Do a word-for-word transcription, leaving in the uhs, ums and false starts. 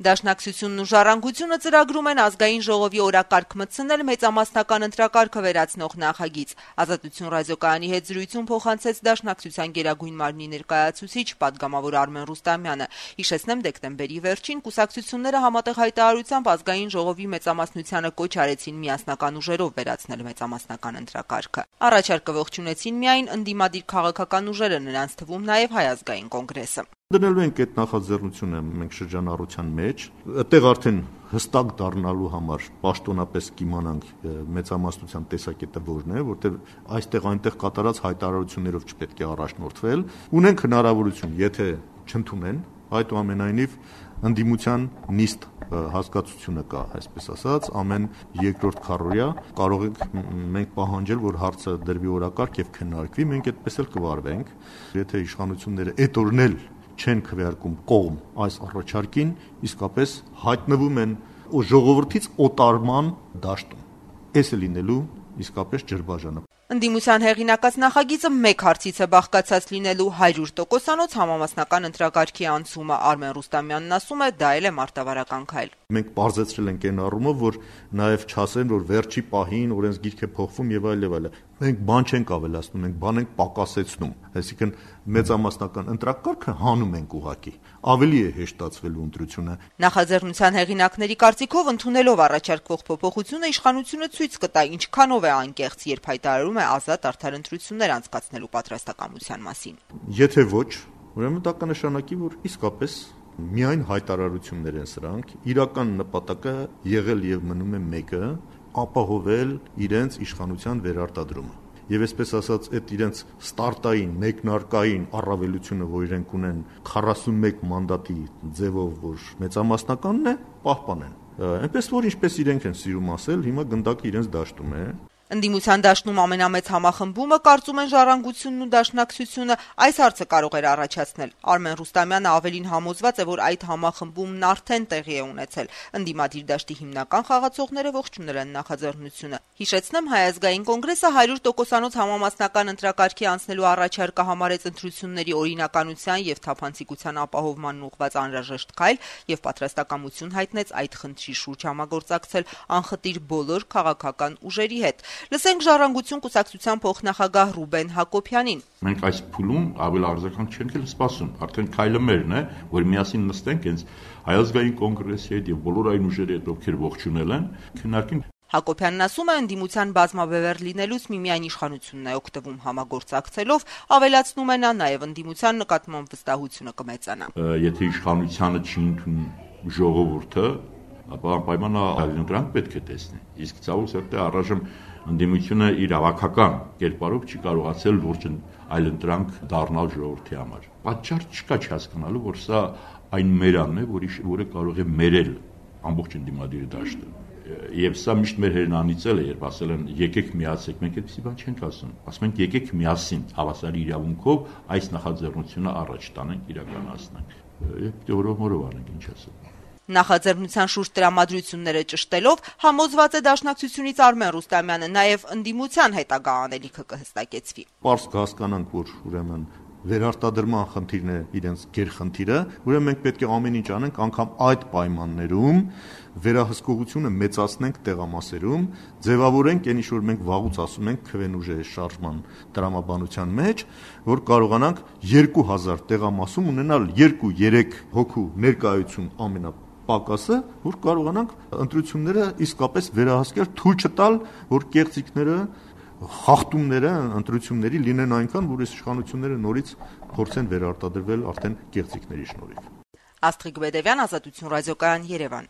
Դաշնակցությունն ու Ժառանգությունը ծրագրում են ազգային ժողովի օրակարգ մտցնել մեծամասնական ընտրակարգը վերացնող նախագիծ։ Ազատություն ռադիոկայանի հետ զրույցում փոխանցեց Դաշնակցության գերագույն մարմնի ներկայացուցիչ պատգամավոր Արմեն Ռուստամյանը։ Հիշեցնեմ, դեկտեմբերի վերջին կուսակցությունները համատեղ հայտարարությամբ ազգային ժողովի մեծամասնությանը կոչ արեցին միասնական ուժերով վերացնել մեծամասնական ընտրակարգը։ Առաջարկը ողջունեցին միայն ընդդիմադիր քաղաքական ուժերը, նրանց թվում նաև Հայ ազգային կոնգրեսը։ Դնելու ենք այդ նախաձեռնությունը մենք շրջանառության մեջ, այդտեղ արդեն հստակ դառնալու համար պաշտոնապես կիմանանք մեծամասնության տեսակետը որն է, որտեղ այստեղ այնտեղ կատարած հայտարարություններով չպետք է առաջնորդվել։ Ունենք հնարավորություն, եթե չընդունեն, այդուամենայնիվ ընդդիմության նիստ հասկացությունը կա, այսպես ասած, ամեն երկրորդ քառօրյա կարող ենք մենք պահանջել, որ հարցը դրվի օրակարգ եւ քննարկվի, մենք այդպես էլ կվարվենք, եթե իշխանությունները այդ օրն էլ չեն քվեարկում կողմ այս առաջարկին, իսկապես հայտնվում են ժողովրդից օտարման դաշտում։ Էս է լինելու իսկապես ջրբաժանը։ Ընդդիմության հեղինակած նախագիծը մեկ հարցից է բաղկացած լինելու հարյուր տոկոսանոց համամասնական ընտրակարգի անցումը։ Արմեն Ռուստամյանն ասում է, դա էլ է մարտավարական քայլ։ Մենք բարձրացրել ենք այն առումով, որ նաև չասեն, որ վերջի պահին օրենսգիրք է փոխվում եւ այլ եւ այլ։ Մենք բան չենք ավելացնում, մենք բան ենք պակասեցնում։ Այսինքն մեծամասնական ընտրակարգը հանում ենք ուղակի։ Ավելի է հեշտացվելու ընտրությունը։ Նախաձեռնության հեղինակների կարծիքով ընդունելով առաջարկվող փոփոխությունը իշխանությունը ցույց կտա ինչքանով է անկեղծ, երբ հայտարարում է ազատ արդար ընտրություններ անցկացնելու պատրաստակամության մասին։ Եթե ոչ, ուրեմն դա կնշանակի, որ իսկապես միայն հայտարարություններ են սրանք, իրական նպատակը եղել եւ մնում է մեկը՝ ապահովել իրենց իշխանության վերարտադրումը։ Եվ այսպես ասած, այդ իրենց ստարտային, մեկնարկային առավելությունը, որ իրենք ունեն քառասունմեկ մանդատի ձևով, որ մեծամասնականն է, պահպանեն։ Այնպես որ ինչպես իրենք են սիրում ասել, հիմա գնդակը իրենց դաշտում է։ Ընդդիմության դաշտում ամենամեծ համախմբումը, կարծում են Ժառանգությունն ու Դաշնակցությունը, այս հարցը կարող էր առաջացնել։ Արմեն Ռուստամյանը ավելին համոզված է, որ այդ համախմբումն արդեն տեղի է ունեցել։ Ընդդիմադիր դաշտի հիմնական խաղացողները ողջունել են նախաձեռնությունը։ Հիշեցնեմ, Հայ ազգային կոնգրեսը հարյուր տոկոսանոց համամասնական ընտրակարգի անցնելու առաջարկը համարեց ընտրությունների օրինականության եւ թափանցիկության ապահովմանն ուղղված անհրաժեշտ քայլ եւ պատրաստակամություն հայտնեց այդ խնդրի շուրջ համագործակցել անխտիր բոլոր քաղաքական ուժերի հետ։ Լսենք Ժառանգություն կուսակցության փոխնախագահ Ռուբեն Հակոբյանին։ Մենք այս փուլում ավելի արձագանք չենք էլ սպասում, արդեն քայլը մերն է, որ միասին նստենք հենց Հայ ազգային կոնգրեսի հետ եւ բոլոր այն ուժերի հետ, ովքեր ողջունել են, քննարկենք։ Հակոբյանն ասում է, ընդդիմության բազմաբևեռ լինելուց միմիայն իշխանությունն է օգտվում համագործակցելով, ավելացնում է նա նաև ընդդիմության նկատմամբ վստահությունը կմեծանա։ Եթե իշխանությանը չի ընդունում ժողովուրդը, ապա անպայման այլընտրանք պետք է տեսնի։ Իսկ ցավոք սրտի առայժմ ընդդիմությունը իր ավակական կերպարով չի կարողացել լուրջ այլընտրանք դառնալ ժողովրդի համար։ Պատճառ չկա չհասկանալու, որ սա այն մերանն է, որը կարող է մերել ամբողջ ընդդիմադիր դաշտը։ Եվ սա միշտ մեր հերնանիցել է, երբ ասել են եկեք միացեք, մենք այդպիսի բան չենք ասում։ Ասում ենք եկեք միասին հավասարի իրավունքով այս նախաձեռնությունը առաջ տանենք, իրականացնենք։ Եվ օրով-օրով անենք, ինչ ասեմ։ Նախաձեռնության շուրջ տրամադրությունները ճշտելով համոզված է Դաշնակցությունից Արմեն Ռուստամյանը, նաև ընդդիմության հետագա անելիքը կհստակեցվի։ Պարզ կհասկանանք, որ ուրեմն վերարտադրման խնդիրն է իրենց գերխնդիրը, ուրեմն մենք պետք է ամեն ինչ անենք, անգամ այդ պայմաններում վերահսկողությունը մեծացնենք տեղամասերում, ձևավորենք այն ինչ որ մենք վաղուց ասում ենք քվենուժե շարժման տրամաբանության մեջ, որ կարողանանք երկու հազար տեղամասում ունենալ երկու երեք հոգու ներկայություն ամենա պակասը, որ կարողանանք ընտրությունները իսկապես վերահսկել, թույլ չտալ, որ կեղծիքները, խախտումները ընտրությունների լինեն այնքան, որ իշխանությունները նորից փորձեն վերարտադրվել արդեն կեղծիքների շնորհիվ։ Աստղիկ Բեդևյան, Ազատություն ռադիոկայան, Երևան։